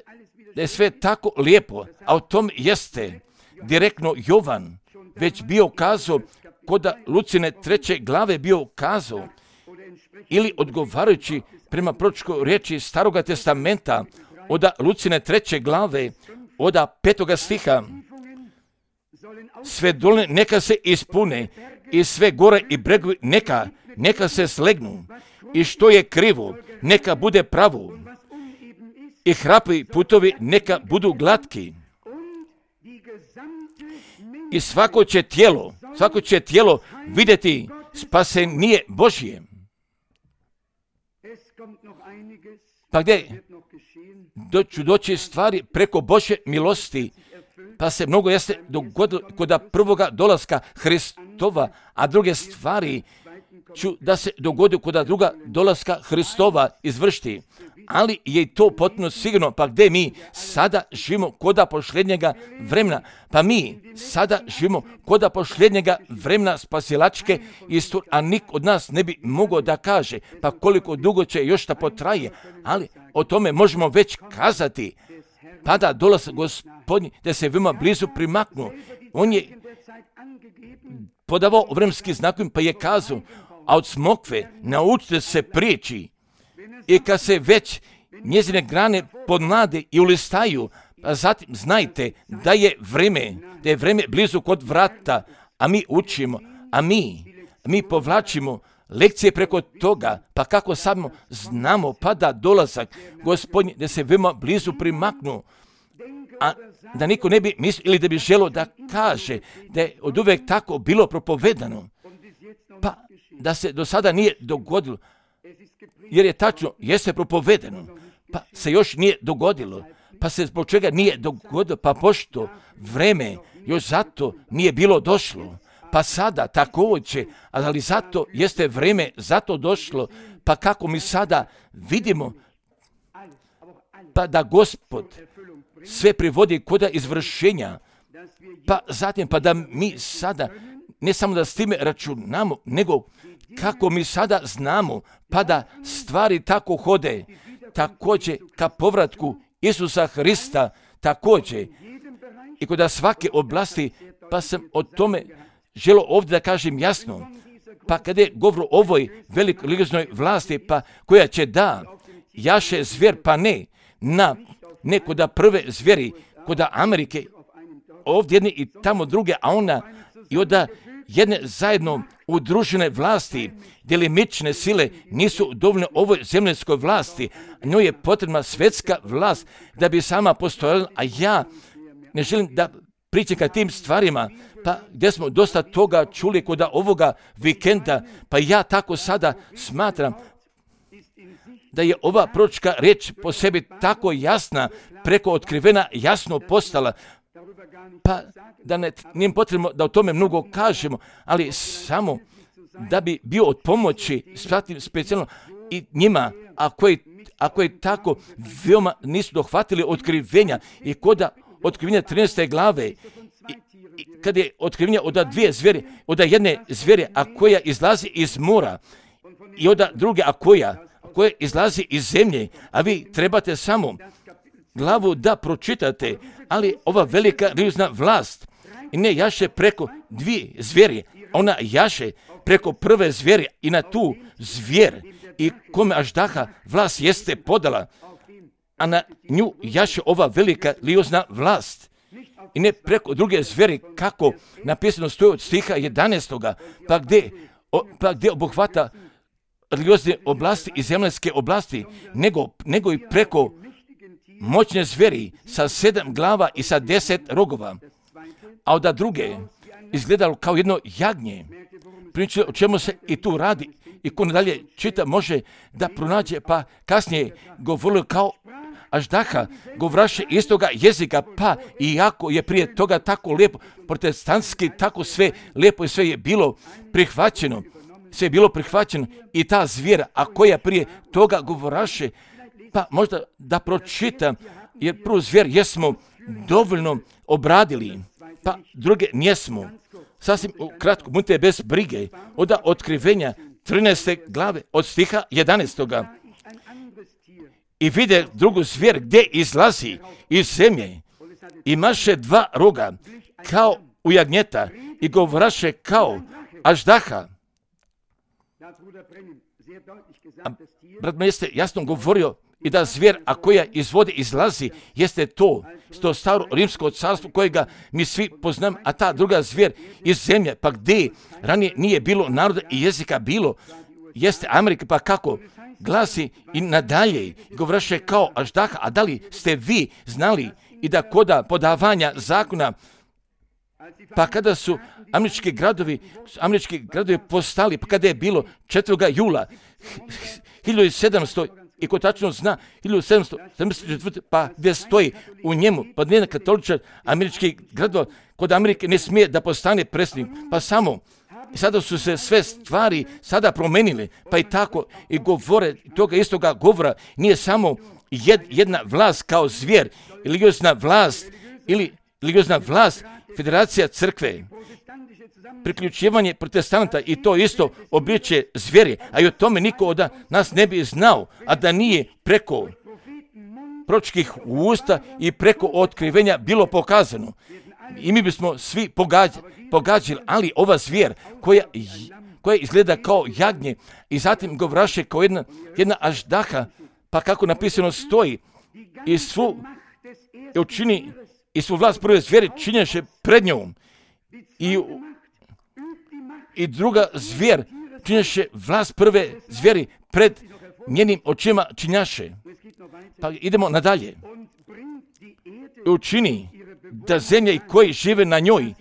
da je sve tako lijepo, a o tom jeste direktno Jovan već bio kazao, kod Lucine treće glave bio kazao, ili odgovarajući prema proročkoj riječi Staroga testamenta, od Lucine treće glave, od petoga stiha, sve doline neka se ispune i sve gore i bregovi neka, neka se slegnu i što je krivo neka bude pravo i hrapi putovi neka budu glatki i svako će tijelo, svako će tijelo vidjeti spasenije Božje. Pa gdje ću doći stvari preko Božje milosti, pa se mnogo jeste dogodilo kod prvoga dolaska Hristova, a druge stvari ću da se dogodi kod druga dolaska Hristova izvršiti. Ali je to potpuno sigurno, pa gdje mi sada živimo kod posljednjega vremena, pa mi sada živimo kod posljednjega vremena spasilačke istorije, a nik od nas ne bi mogao da kaže, pa koliko dugo će još da potraje, ali o tome možemo već kazati, pa da dolazak Gospodnji, da se veoma blizu primaknu. On je podavao vremenski znakom, pa je kazao, a od smokve naučite se priči. I kad se već njezine grane podmlade i ulistaju, a zatim znajte da je vreme, da je vreme blizu kod vrata, a mi učimo, a mi, mi povlačimo lekcije preko toga, pa kako samo znamo, pa da dolazak Gospodnji, da se veoma blizu primaknu, a da niko ne bi mislio ili da bi želo da kaže da je od uvek tako bilo propovedano, pa da se do sada nije dogodilo, jer je tačno, jeste propovedano, pa se još nije dogodilo, pa se zbog čega nije dogodilo, pa pošto vreme još zato nije bilo došlo, pa sada također, ali zato jeste vreme zato došlo, pa kako mi sada vidimo, pa da Gospod sve privodi kod izvršenja, pa zatim pa da mi sada ne samo da s time računamo, nego kako mi sada znamo, pa da stvari tako hode, također ka povratku Isusa Hrista, također i kod svake oblasti, pa sam o tome želo ovdje da kažem jasno, pa kada je govor o ovoj velikoj religioznoj vlasti, pa koja će da jaše zvijer, pa ne na ne kod prve zvijeri, kod Amerike, ovdje jedne i tamo druge, a ona i od jedne zajedno udružene vlasti, delimične sile nisu dovoljne ovoj zemljskoj vlasti. Njoj je potrebna svjetska vlast da bi sama postojala, a ja ne želim da pričam ka tim stvarima, pa gdje smo dosta toga čuli kod ovoga vikenda, pa ja tako sada smatram da je ova proročka riječ po sebi tako jasna, preko otkrivena, jasno postala, pa da ne, nije potrebno da o tome mnogo kažemo, ali samo da bi bio od pomoći, specijalno i njima, ako je, ako je tako, veoma nisu dohvatili otkrivenja i koda otkrivenja trinaeste glave, i, i kad je otkrivenja od dvije zvijeri, od jedne zvijeri, a koja izlazi iz mora, i od druge, a koja, koja izlazi iz zemlje, a vi trebate samo glavu da pročitate, ali ova velika religiozna vlast i ne jaše preko dvije zvijeri, ona jaše preko prve zvijeri i na tu zvijer i kome Aždaha vlast jeste podala, a na nju jaše ova velika religiozna vlast i ne preko druge zvijeri kako napisano stoji od stiha jedanaestoga, pa gdje, pa gdje obuhvata religiozne oblasti i zemljske oblasti, nego, nego i preko moćne zvijeri sa sedam glava i sa deset rogova, a od druge izgledalo kao jedno jagnje. Priča o čemu se i tu radi i ko nadalje čita može da pronađe, pa kasnije govorilo kao Aždaha, govraše istoga jezika, pa iako je prije toga tako lijepo, protestantski tako sve lijepo i sve je bilo prihvaćeno, sve je bilo prihvaćeno i ta zvijera, a koja prije toga govoraše, pa možda da pročitam, jer prvu zvijer jesmo dovoljno obradili, pa druge njesmo. Sasvim kratko, budite bez brige, od otkrivenja trinaeste glave, od stiha jedanaestoga. I vide drugu zvijer gdje izlazi iz zemlje, imaše dva roga, kao u jagnjeta, i govoraše kao Aždaha. A brat me jeste jasno govorio i da zvijer, a koja iz vode izlazi, jeste to, to staro rimsko carstvo kojega mi svi poznam, a ta druga zvijer iz zemlje, pa gdje ranije nije bilo naroda i jezika bilo, jeste Amerika, pa kako glasi i nadalje, i govoraše kao Aždaha, a da li ste vi znali i da koda podavanja zakona, pa kada su američki gradovi, američki gradovi postali, pa kada je bilo četvrtog jula hiljadu sedamsto, i ko tačno zna, hiljadu sedamsto sedamdeset četvrte. pa gdje stoji u njemu, pa nijedan katoličar američkih gradova, kod Amerike ne smije da postane predsjednik, pa samo, i sada su se sve stvari sada promenile, pa i tako i govore toga istoga govora, nije samo jed, jedna vlast kao zvijer, religiozna vlast, ili religiozna vlast, federacija crkve, priključivanje protestanta i to isto obliče zvijeri, a i o tome niko od nas ne bi znao, a da nije preko proročkih usta i preko otkrivenja bilo pokazano. I mi bismo svi pogađali, pogađali ali ova zvijer koja koje izgleda kao jagnje i zatim govraše kao jedna, jedna aždaha, pa kako napisano stoji, i svu i učini i svu vlast prve zvijeri činješe pred njom. I, i druga zvijer činješe vlast prve zvijeri pred njenim očima činjaše. Pa idemo nadalje. I učini da zemlja i koji žive na njoj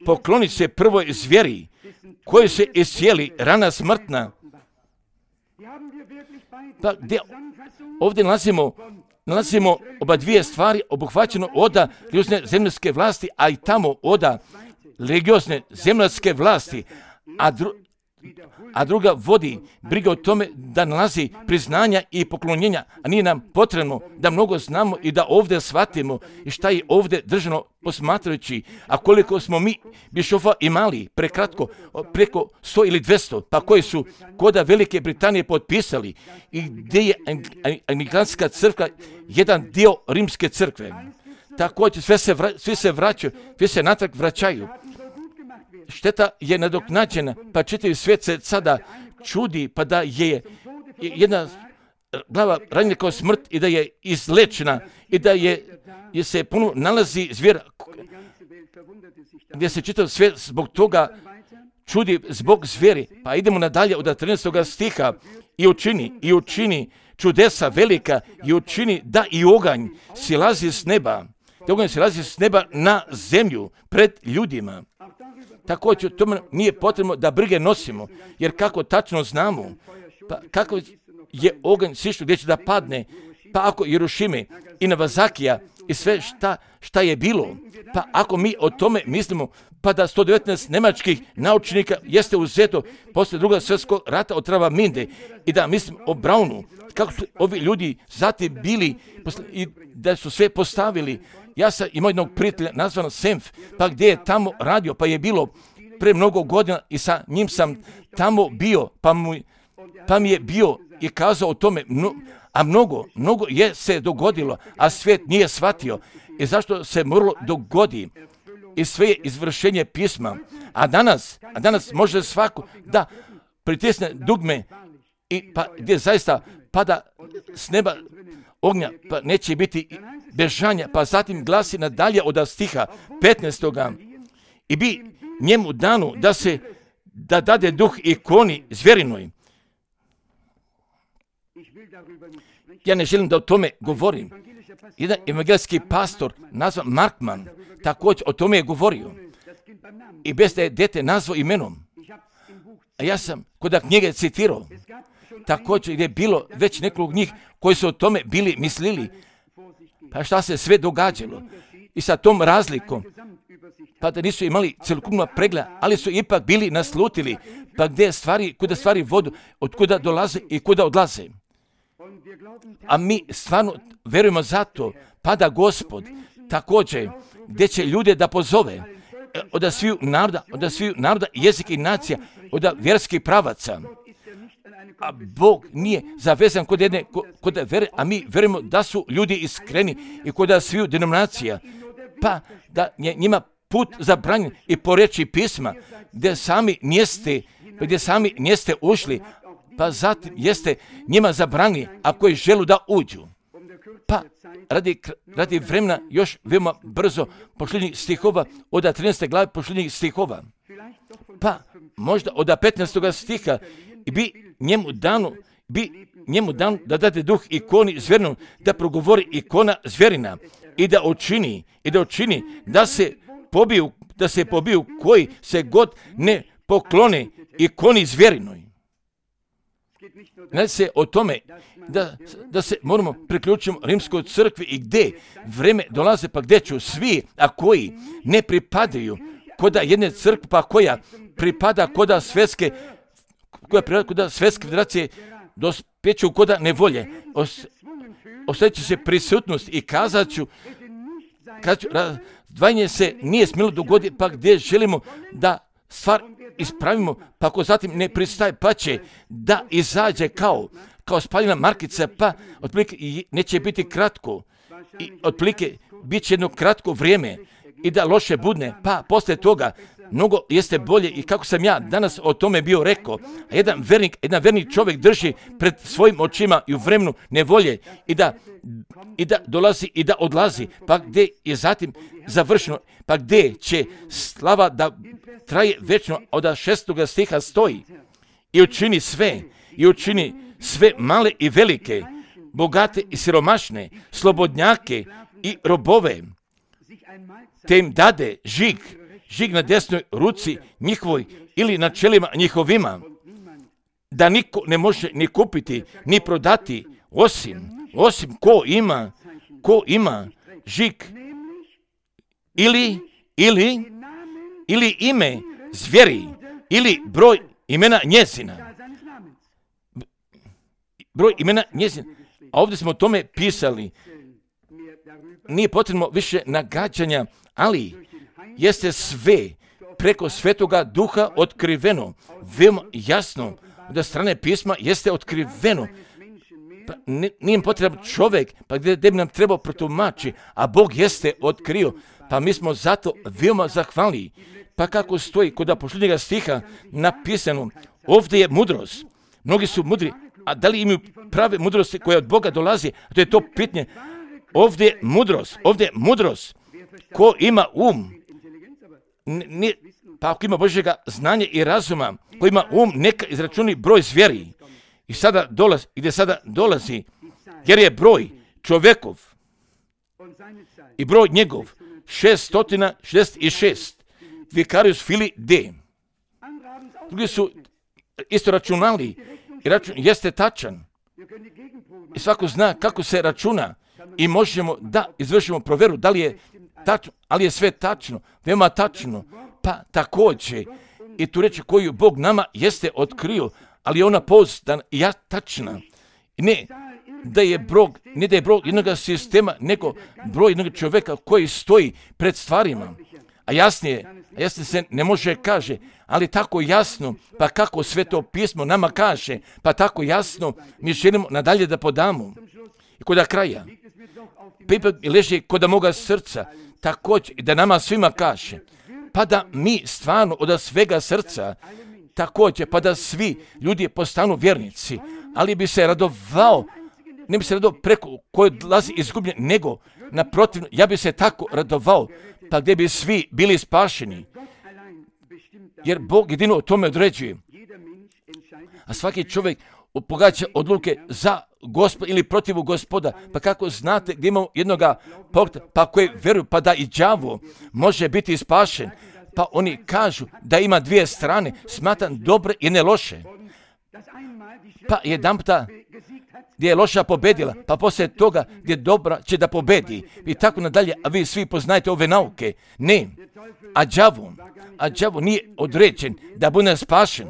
pokloni se prvoj zvijeri koji se iscijeli rana smrtna. Pa gdje ovdje nalazimo, nalazimo oba dvije stvari obuhvaćeno oda religiozne zemljske vlasti, a i tamo oda religiozne zemljske vlasti, a, dru, a druga vodi briga o tome da nalazi priznanja i poklonjenja, a nije nam potrebno da mnogo znamo i da ovdje shvatimo i šta je ovdje držano posmatrajući, a koliko smo mi bišofa imali prekratko, preko sto ili dvjesto, pa koji su koda Velike Britanije potpisali i gdje je anglikанska crkva jedan dio rimske crkve. Također sve se vra, svi se vraćaju, svi se natrag vraćaju. Šteta je nadoknađena, pa čitavi svijet se sada čudi, pa da je jedna glava ranjena kao smrt i da je izlečena i da je, je se puno nalazi zvijer gdje se čitav svijet zbog toga čudi zbog zvijeri. Pa idemo nadalje od trinaestog stiha i učini, i učini čudesa velika i učini da i oganj silazi s neba, da oganj silazi s neba na zemlju pred ljudima. Također, tome nije potrebno da brige nosimo, jer kako tačno znamo, pa kako je oganj sišao gdje će da padne, pa ako Jerušime i Navazakija i sve šta, šta je bilo, pa ako mi o tome mislimo, pa da sto devetnaest nemačkih naučnika jeste uzeto poslije drugog svjetskog rata od Travaminde i da mislim o Braunu, kako su ovi ljudi zatim bili i da su sve postavili. Ja sam imao jednog prijatelja nazvan Senf, pa gdje je tamo radio, pa je bilo pre mnogo godina i sa njim sam tamo bio, pa, mu, pa mi je bio i kazao o tome, no, a mnogo, mnogo je se dogodilo, a svijet nije shvatio. I zašto se moralo dogodi i sve je izvršenje pisma. A danas, a danas može svako da pritisne dugme i pa gdje zaista pada s neba ognja, pa neće biti bežanja, pa zatim glasi nadalje od stiha petnaestoga i bi njemu danu da se da dade duh ikoni zvjerinoj. Ja ne želim da o tome govorim. Jedan evangelski pastor nazvan Markman također o tome je govorio i bez da je dete nazvao imenom. A ja sam kod knjige citirao također gdje je bilo već nekoliko njih koji su o tome bili mislili, pa šta se sve događalo i sa tom razlikom, pa da nisu imali cjelokupno pregleda, ali su ipak bili naslutili, pa gdje stvari, kuda stvari vodu, od kuda dolaze i kuda odlaze. A mi stvarno verujemo zato, pa da Gospod također gdje će ljude da pozove od sviju naroda, od sviju naroda, jezika i nacija, od vjerskih pravaca. A Bog nije zavezan kod jedne, kod vere, a mi verujemo da su ljudi iskreni i kod sviju denominacija, pa da je njima put zabranjen i po riječi pisma, gdje sami nijeste, gdje sami nijeste ušli, pa zatim jeste njima zabranili ako je želu da uđu. Pa radi, radi vremena još veoma brzo posljednjih stihova, od trinaeste glave posljednjih stihova. Pa možda od petnaestog stiha i bi njemu danu, bi njemu danu da dade duh ikoni zvjerinom, da progovori ikona zvjerina i da učini, i da učini da se pobiju, da se pobiju koji se god ne poklone ikoni zvjerinoj. Ne se o tome da, da se moramo priključiti rimskoj crkvi i gdje vreme dolaze, pa gdje ću svi, a koji ne pripadaju koda jedne crkve, pa koja pripada koda svjetske, koja pripada koda svjetske federacije, dospjeću koda nevolje. Os, Osjeća se prisutnost i kazat ću, kazat ću, razdvajanje se nije smjelo dogoditi, pa gdje želimo da stvar ispravimo, pa ako zatim ne pristaje, pa će da izađe kao, kao spaljena markica, pa otprilike neće biti kratko i otprilike bit će jedno kratko vrijeme i da loše budne, pa poslije toga mnogo jeste bolje i kako sam ja danas o tome bio rekao, a jedan vernik, jedan vernik čovjek drži pred svojim očima i u vremenu nevolje i da, i da dolazi i da odlazi, pa gdje je zatim završeno, pa gdje će slava da traje večno, od šestoga stiha stoji i učini sve, i učini sve male i velike, bogate i siromašne, slobodnjake i robove, te im dade žig, žig na desnoj ruci njihovoj ili na čelima njihovima, da niko ne može ni kupiti, ni prodati, osim, osim ko ima, ko ima žig ili, ili, ili ime zvjeri, ili broj imena njezina. Broj imena njezina. A ovdje smo o tome pisali. Nije potrebno više nagađanja, ali jeste sve preko Svetoga Duha otkriveno, veoma jasno, da strane pisma jeste otkriveno. Pa nije im potreban čovjek, pa gdje bi nam trebao protumači, a Bog jeste otkrio, pa mi smo zato veoma zahvalni. Pa kako stoji kod posljednjega stiha napisano, ovdje je mudrost. Mnogi su mudri, a da li imaju prave mudrosti koja od Boga dolazi? To je to pitanje. Ovdje je mudrost, ovdje je mudrost. Ko ima um, nije, pa ako ima Božjega znanja i razuma, ko ima um, neka izračuni broj zvjeri. I sada dolazi, gdje sada dolazi, jer je broj čovjekov i broj njegov šesto šezdeset šest, Vicarius Filii D. Drugi su isto računali i račun jeste tačan. I svako zna kako se računa i možemo da izvršimo provjeru da li je tačno, ali je sve tačno, veoma tačno. Pa također i tu reći koju Bog nama jeste otkrio, ali je ona pouzdana i ja tačna. Ne da je broj, ne da je broj jednog sistema, nego broj jednog čovjeka koji stoji pred stvarima. A jasnije, a jasnije se ne može kaže, ali tako jasno, pa kako sve to pismo nama kaže, pa tako jasno mi želimo nadalje da podamo. I kod kraja, pa ipak leži kod moga srca, također i da nama svima kaže, pa da mi stvarno od svega srca, također, pa da svi ljudi postanu vjernici, ali bi se radovao, ne bi se radovao preko koje dolazi izgubljen, nego naprotiv, ja bi se tako radovao, pa gdje bi svi bili spašeni. Jer Bog jedino o tome određuje. A svaki čovjek pogađa odluke za Gospod ili protiv Gospoda. Pa kako znate gdje imamo jednoga pokta, pa koji vjeruju, pa da i đavo može biti spašen. Pa oni kažu da ima dvije strane, smatram dobre i ne loše. Pa jedanputa gdje je loša pobedila, pa poslije toga gdje dobra će da pobedi. I tako nadalje, a vi svi poznajete ove nauke. Ne, a đavo, a đavo nije određen da bude spašen.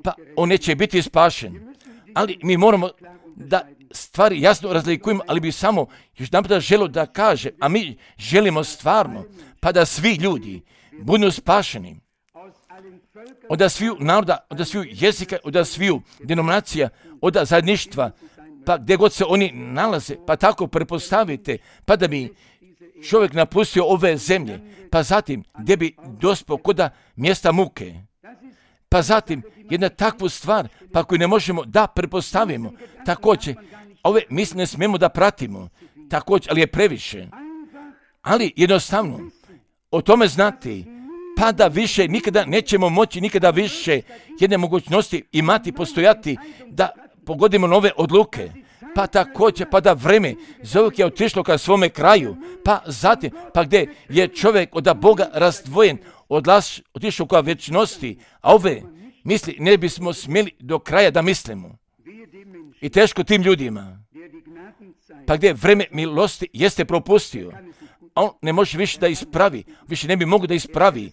Pa on neće biti spašen. Ali mi moramo da stvari jasno razlikujemo, ali bi samo još jedanputa želio da kaže, a mi želimo stvarno, pa da svi ljudi budu spašeni. Od sviju naroda, od sviju jezika, od sviju denominacija, od zajedništva, pa gdje god se oni nalaze, pa tako prepostavite, pa da bi čovjek napustio ove zemlje, pa zatim gdje bi dospio koda mjesta muke. Pa zatim jedna takvu stvar, pa koju ne možemo da prepostavimo, također, ove misli ne smijemo da pratimo, također, ali je previše. Ali jednostavno, o tome znati, pa da više nikada nećemo moći, nikada više jedne mogućnosti imati, postojati, da pogodimo nove odluke. Pa također, pa da vreme zovuk je otišlo ka svome kraju, pa zatim, pa gdje je čovjek od Boga razdvojen, odlaš, otišao ka večnosti, a ove misli ne bismo smjeli do kraja da mislimo. I teško tim ljudima, pa gdje vreme milosti jeste propustio, a on ne može više da ispravi, više ne bi mogo da ispravi,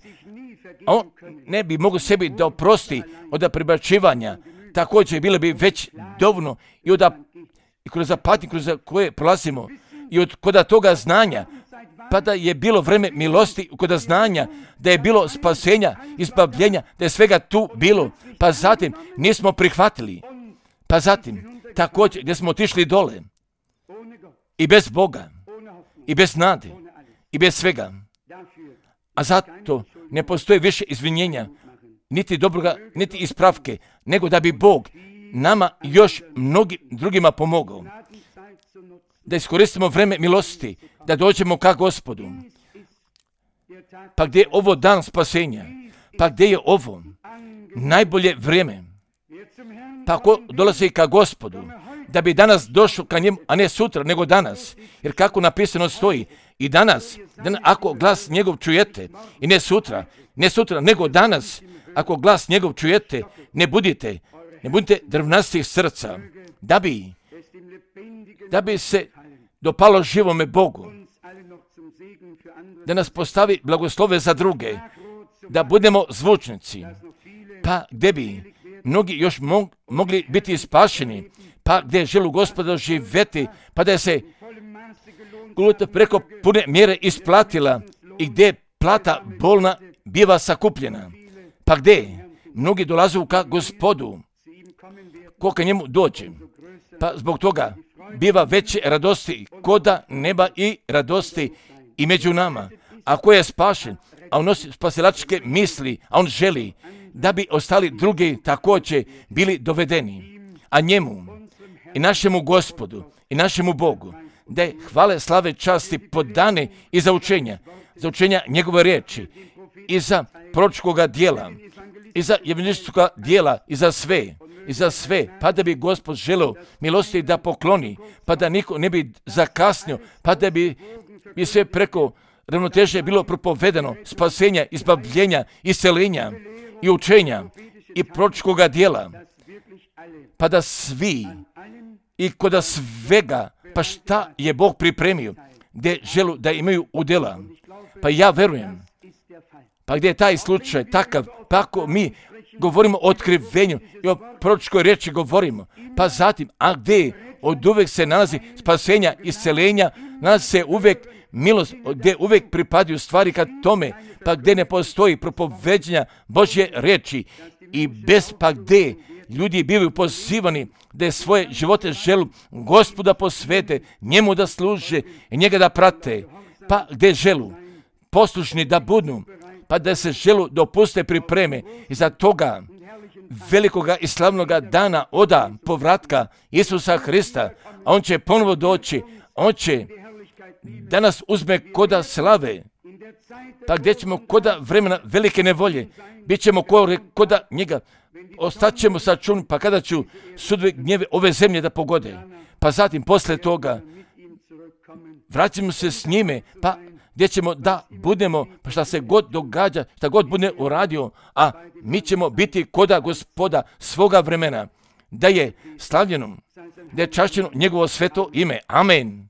a on ne bi mogo sebi da oprosti od prebačivanja, također bilo bi već dovoljno i od i kroz patnje kroz koje prolazimo i od koda toga znanja, pa da je bilo vreme milosti koda znanja, da je bilo spasenja, izbavljenja, da je svega tu bilo, pa zatim nismo prihvatili, pa zatim također gdje smo otišli dole i bez Boga, i bez nade, i bez svega. a zato ne postoji više izvinjenja, niti dobroga, niti ispravke, nego da bi Bog nama još mnogim drugima pomogao. Da iskoristimo vreme milosti, da dođemo ka Gospodu. Pa gdje je ovo dan spasenja? Pa gdje je ovo najbolje vrijeme? Pa ako dolazi ka Gospodu, da bi danas došao ka njemu, a ne sutra, nego danas. Jer kako napisano stoji, i danas, dan, ako glas njegov čujete, i ne sutra, ne sutra, nego danas, ako glas njegov čujete, ne budite, ne budite drvnastih srca, da bi, da bi se dopalo živome Bogu, da nas postavi blagoslove za druge, da budemo zvučnici, pa gdje bi mnogi još mog, mogli biti spašeni, pa gdje želu Gospoda živjeti, pa da se gluta preko pune mjere isplatila i gdje plata bolna biva sakupljena, pa gdje mnogi dolaze ka Gospodu, ko ka njemu dođe, pa zbog toga biva veće radosti koda neba i radosti i među nama. Ako je spašen, a on nosi spasilačke misli, a on želi da bi ostali drugi također bili dovedeni, a njemu i našemu Gospodu i našemu Bogu da je hvale, slave, časti podane i za učenja, za učenja njegove riječi i za proročkoga dijela i za evangelističkoga dijela i za sve, i za sve, pa da bi Gospod želeo milosti da pokloni, pa da niko ne bi zakasnio, pa da bi, bi sve preko ravnoteže bilo propovedano, spasenja, izbavljenja, iscelenja i učenja i proročkoga dijela, pa da svi i koda svega, pa šta je Bog pripremio, gdje želu da imaju udjela. Pa ja verujem, pa gdje je taj slučaj takav, pa ako mi govorimo o otkrivenju i o proročkoj riječi govorimo, pa zatim, a gdje od uvek se nalazi spasenja, iscelenja, nalazi se uvek milost, gdje uvek pripadaju stvari kad tome, pa gdje ne postoji propoveđenja Božje riječi i bez pa gdje ljudi bivaju pozivani da svoje živote želu Gospoda posvete, njemu da služe i njega da prate, pa gdje želu poslušni da budu, pa da se želu dopuste pripreme i za toga velikoga i slavnoga dana oda povratka Isusa Hrista, a on će ponovo doći, on će da nas uzme koda slave, pa gdje ćemo koda vremena velike nevolje, bit ćemo koda njega, ostaćemo sačun, pa kada ću sudve gnjeve ove zemlje da pogode, pa zatim posle toga vraćamo se s njime, pa gdje ćemo da budemo, pa šta se god događa, šta god bude uradio, a mi ćemo biti koda Gospoda svoga vremena, da je slavljeno, da je čašćeno njegovo sveto ime. Amen.